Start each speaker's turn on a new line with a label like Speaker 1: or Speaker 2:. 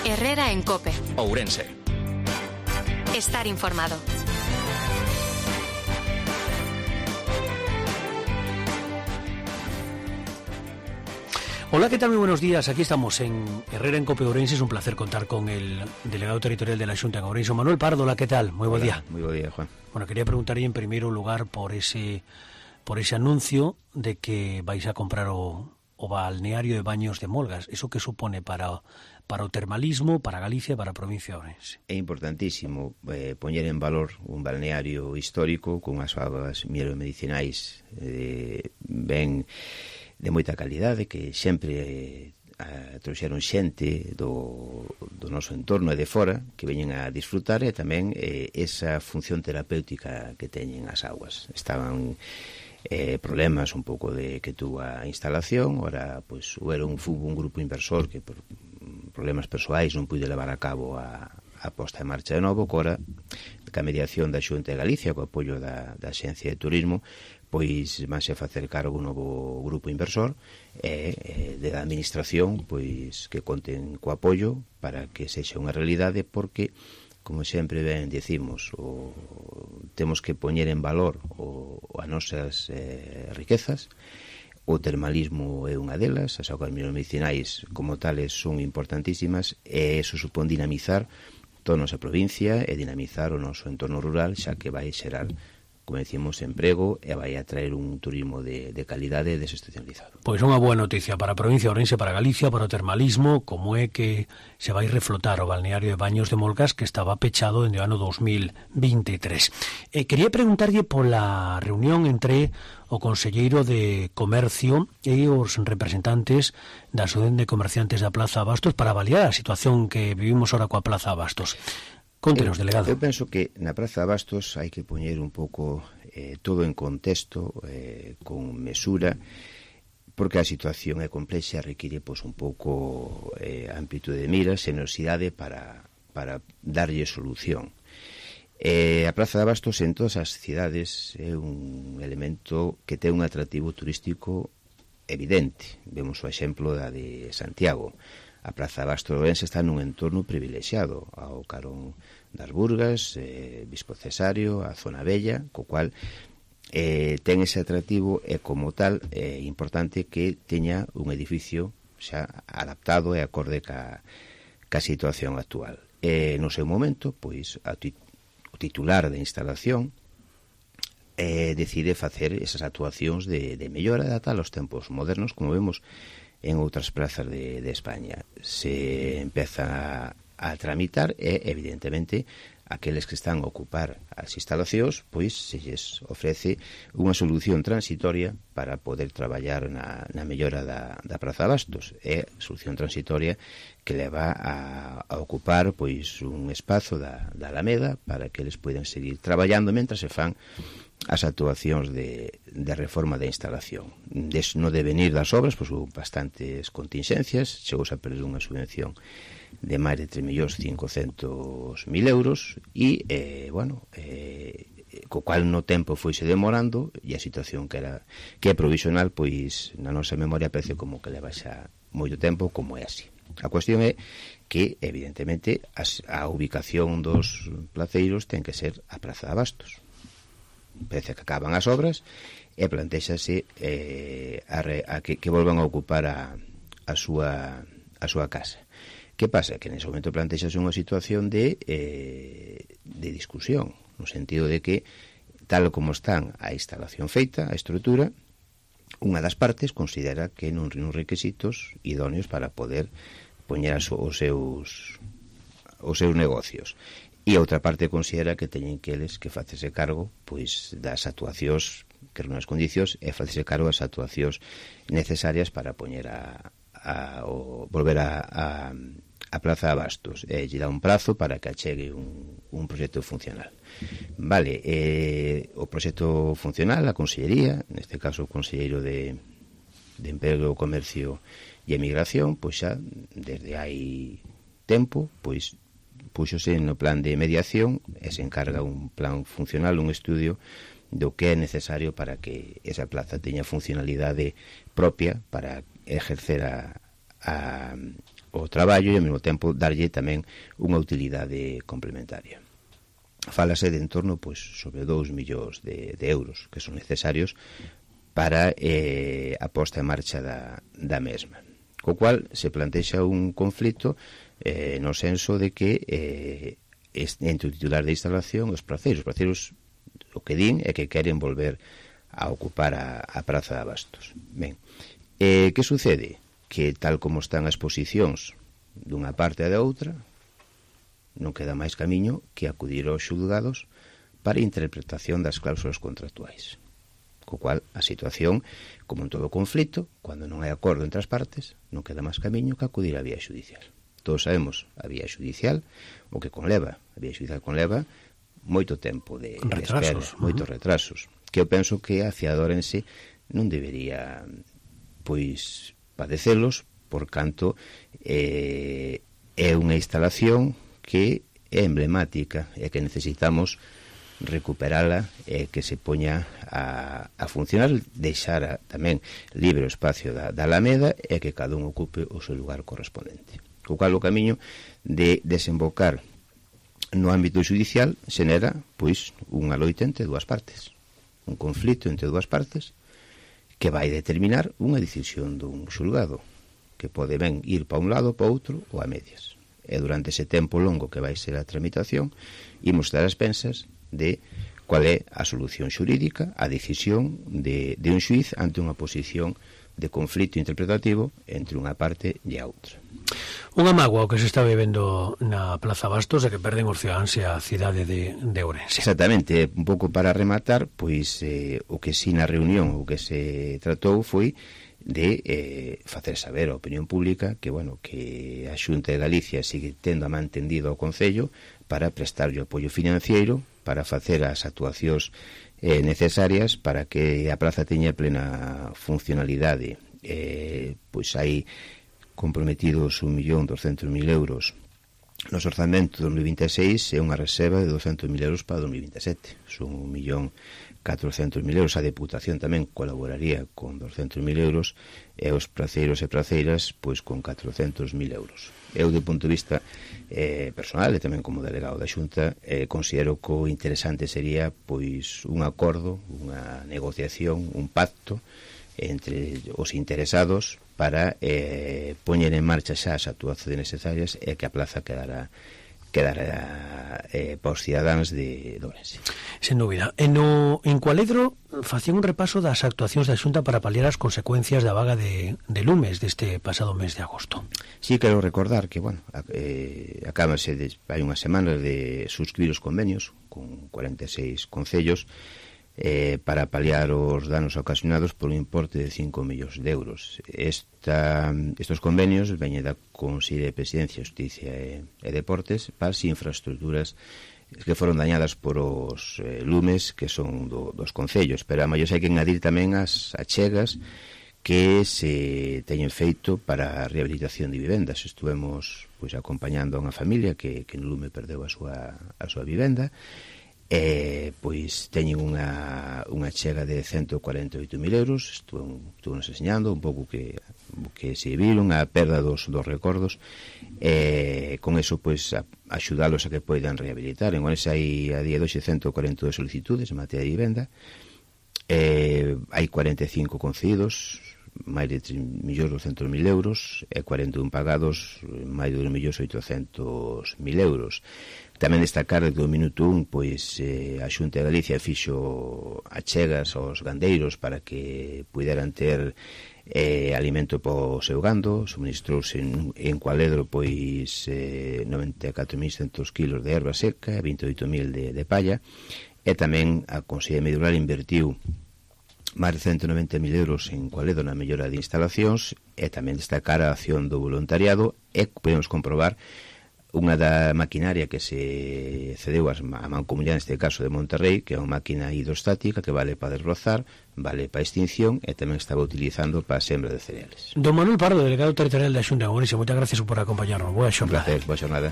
Speaker 1: Herrera en COPE.
Speaker 2: Ourense.
Speaker 1: Estar informado.
Speaker 3: Hola, ¿qué tal? Muy buenos días. Aquí estamos en Herrera en COPE Ourense. Es un placer contar con el delegado territorial de la Xunta en Ourense, Manuel Pardo. Hola, ¿qué tal? Muy buen día.
Speaker 4: Muy buen día, Juan.
Speaker 3: Bueno, quería preguntarle en primer lugar por ese anuncio de que vais a comprar o balneario de Baños de Molgas. ¿Eso qué supone para o termalismo, para Galicia e para a provincia de Ourense?
Speaker 4: É importantísimo poñer en valor un balneario histórico con as augas medicinais ben de moita calidade, que sempre trouxeron xente do noso entorno e de fora que veñen a disfrutar, e tamén esa función terapéutica que teñen as augas. Estaban problemas un pouco de que tuvo a instalación, ora pois era un grupo inversor que por problemas persoais non puide levar a cabo a posta en marcha de novo, que ora ca mediación da Xunta de Galicia, co apoio da Axencia de Turismo, pois vanse a facer cargo un novo grupo inversor e da administración, pois que conten co apoio para que sexa unha realidade, porque como sempre ben decimos, temos que poñer en valor as nosas riquezas. O termalismo é unha delas, as augas medicinais como tales son importantísimas, e eso supón dinamizar toda a nosa provincia e dinamizar o noso entorno rural, xa que vai xerar, como decimos, emprego e vai a traer un turismo de calidade desestacionalizado.
Speaker 3: Pois unha boa noticia para a provincia de Ourense, para Galicia, para o termalismo, como é que se vai reflotar o balneario de Baños de Molgas, que estaba pechado dende o ano 2023. Quería preguntarlle pola reunión entre o conselleiro de Comercio e os representantes da Asociación de Comerciantes da Plaza Abastos para avaliar a situación que vivimos ahora coa Plaza Abastos. Contenos, delegado.
Speaker 4: Eu penso que na Praza de Abastos hai que poñer un pouco todo en contexto, con mesura, porque a situación é complexa e require un pouco amplitude de miras, xenerosidade para darlle solución. A Praza de Abastos en todas as cidades é un elemento que ten un atractivo turístico evidente. Vemos o exemplo da de Santiago. A Praza de Abastos de Ourense está nun entorno privilexiado, ao carón das Burgas, Bispo Cesario, a Zona Bella, co cual ten ese atractivo, e como tal é importante que teña un edificio xa adaptado e acorde ca situación actual. No seu momento, pois, o titular da instalación decide facer esas actuacións de mellora adaptada aos tempos modernos, como vemos en outras plazas de España. Se empeza a tramitar e, evidentemente, aqueles que están a ocupar as instalacións, pois se lles ofrece unha solución transitoria para poder traballar na mellora da Praza de Abastos. É solución transitoria que leva a ocupar pois un espazo da Alameda para que eles poidan seguir traballando mentre se fan as actuacións de reforma da instalación. No devenir das obras, pois houve bastantes contingencias, chegouse a perder unha subvención de máis de 3.500.000 euros e, co cual no tempo foise demorando, e a situación que é provisional, pois na nosa memoria parece como que leva xa moito tempo, como é así. A cuestión é que, evidentemente, a ubicación dos placeiros ten que ser a Praza de Abastos. Parece que acaban as obras e plantéxase que volvan a ocupar a súa casa. Que pasa? Que nese momento plantéxase unha situación de discusión, no sentido de que, tal como están a instalación feita, a estrutura, unha das partes considera que non reúne requisitos idóneos para poder poñer os seus negocios. E a outra parte considera que teñen que eles que facerse cargo pois das actuacións que reúnen as condicións e facerse cargo das actuacións necesarias para poñer volver a Praza de Abastos. Lle dá un prazo para que achegue un proxecto funcional. Vale, o proxecto funcional, a Consellería, neste caso o Conselleiro de Emprego, Comercio e Emigración, pois xa desde hai tempo, pois púxose no plan de mediación e se encarga un plan funcional, un estudio do que é necesario para que esa plaza teña funcionalidade propia para exercer o traballo e ao mesmo tempo darlle tamén unha utilidade complementaria. Fálase de en torno pois, sobre 2 millóns de euros que son necesarios para a posta en marcha da mesma. Co cual se plantexa un conflito no senso de que entre o titular de instalación e os praceiros. Os praceiros o que din é que queren volver a ocupar a Praza de Abastos. Ben, que sucede? Que tal como están as posicións dunha parte e da outra, non queda máis camiño que acudir aos xulgados para a interpretación das cláusulas contractuais. Co cual, a situación, como en todo conflito, cando non hai acordo entre as partes, non queda máis camiño que acudir á vía xudicial. Todos sabemos a vía xudicial, o que conleva, a vía xudicial conleva moito tempo de espera, moitos retrasos, que eu penso que a fiadora en sí non debería pois padecelos, por canto é unha instalación que é emblemática e que necesitamos recuperala e que se poña a funcionar, deixar tamén libre o espacio da Alameda e que cada un ocupe o seu lugar correspondente. Co cual o camiño de desembocar no ámbito judicial xenera pois unha loita entre dúas partes, un conflito entre dúas partes que vai determinar unha decisión dun xulgado que pode ben ir para un lado, para outro ou a medias. E durante ese tempo longo que vai ser a tramitación imos estar as pensas de cual é a solución xurídica, a decisión de un xuiz ante unha posición de conflito interpretativo entre unha parte e a outra.
Speaker 3: Unha mágoa o que se está vivendo na Plaza Bastos é que perden os cidadáns e a cidade de Ourense.
Speaker 4: Exactamente, un pouco para rematar, pois o que si na reunión o que se tratou foi de facer saber a opinión pública que, bueno, que a Xunta de Galicia sigue tendo a mantendido ao Concello para prestarlle apoio financiero para facer as actuacións necesarias para que a praza teña plena funcionalidade. Pois hai comprometidos 1.200.000 euros nos orzamentos de 2026 e unha reserva de 200.000 euros para 2027. Son 1.400.000 euros. A Deputación tamén colaboraría con 200.000 euros e os praceiros e praceiras pois con 400.000 euros. Eu, do punto de vista personal e tamén como delegado da Xunta, considero que o interesante sería pois un acordo, unha negociación, un pacto entre os interesados para poñer en marcha xa as actuacións necesarias e que a plaza quedara para os cidadáns de Ourense.
Speaker 3: Sen dúbida. En Cualedro facían un repaso das actuacións da Xunta para paliar as consecuencias da vaga de lumes deste pasado mes de agosto.
Speaker 4: Sí, quero recordar que, bueno, acábase hai unhas semanas de suscribir os convenios con 46 concellos para paliar os danos ocasionados por un importe de 5 millóns de euros. Estos convenios veñen da Consellería de Presidencia, Justicia e Deportes para as infraestructuras que foron dañadas por os lumes que son dos concellos, pero a maior hai que engadir tamén as achegas que se teñen feito para a rehabilitación de vivendas. Estuvemos pois acompañando a unha familia que no lume perdeu a súa vivenda. Pois teñen unha chega de 148.000 euros. Estuvemos enseñando un pouco que se viron a perda dos recordos, con eso pois axudalos a que poidan rehabilitar. En Ourense hai a día de hoxe 142 solicitudes en materia de vivenda, hai 45 concedidos, máis de 3.200.000 euros, e 41 pagados, máis de 2.800.000 euros. Tamén destacar que do minuto 1 pois a Xunta de Galicia fixo achegas aos gandeiros para que puderan ter alimento para o seu gando. Suministrouse en Cualedro pois 94.100 kilos de erva seca e 28.000 de palla, e tamén a Consellería de Medio Rural invertiu máis de 190.000 euros en Cualedro na mellora de instalacións, e tamén destacar a acción do voluntariado, e podemos comprobar unha da maquinaria que se cedeu a Mancomunidade, neste caso de Monterrey, que é unha máquina hidrostática que vale para desbrozar, vale para extinción e tamén estaba utilizando para a sembra de cereales.
Speaker 3: Don Manuel Pardo, delegado territorial da Xunta de Ourense, moitas gracias por acompañarnos. Boa xornada.
Speaker 4: Un placer, boa xornada.